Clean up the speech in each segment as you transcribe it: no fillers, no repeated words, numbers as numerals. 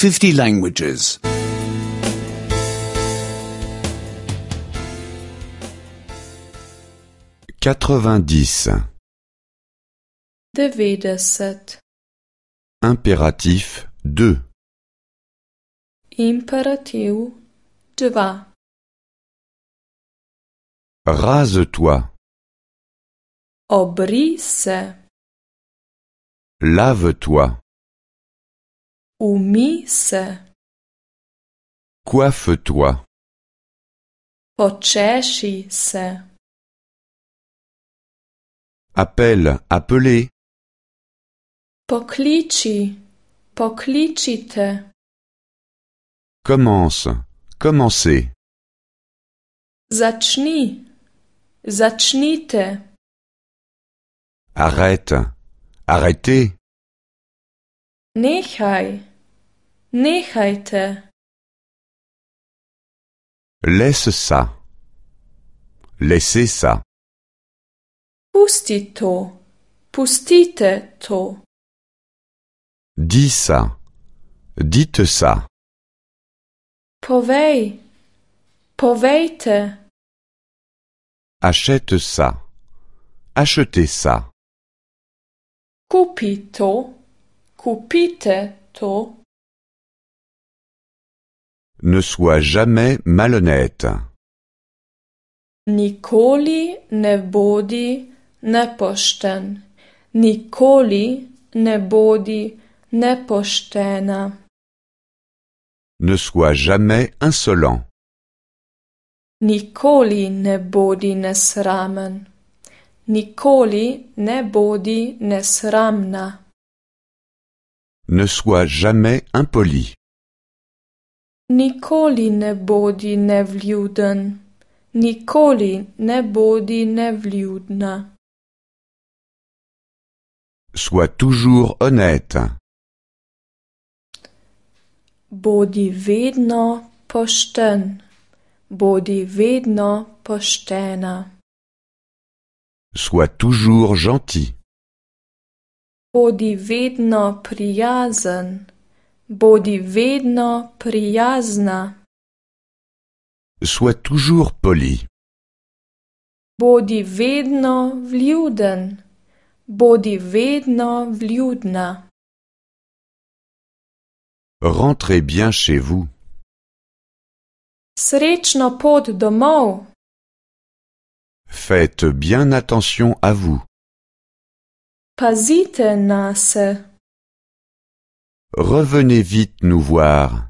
50 languages. 90. 90. Impératif 2. Imperativ 2. Rase-toi. Obri se. Lave-toi. Umi se. Coiffe-toi. Počeši se. Appelle, appelez. Pokliči, pokličite. Commence, commencez. Začni, začnite. Arrête, arrêtez. Nehaj, nehajte. Laisse ça. Laissez ça. Pusti to, pustite to. Dis ça. Dites ça. Povej, povejte. Achète ça. Achetez ça. Kupi to, kupite to. Ne sois jamais malhonnête. Nikoli ne bodi nepošten. Nikoli ne bodi nepoštena. Ne sois jamais insolent. Nikoli ne bodi nesramen. Nikoli ne bodi nesramna. Ne sois jamais impoli. Nikoli ne bodi nevljuden. Nikoli ne bodi nevljudna. Sois toujours honnête. Bodi vedno pošten. Bodi vedno poštena. Sois toujours gentil. Bodi vedno prijazen. Bodi vedno prijazna. Sois toujours poli. Bodi vedno vljuden. Bodi vedno vljudna. Rentrez bien chez vous. Srečno pot domov. Faites bien attention à vous. Pazite nase. Revenez vite nous voir.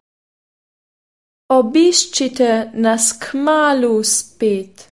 Obiščite nas kmalu spet.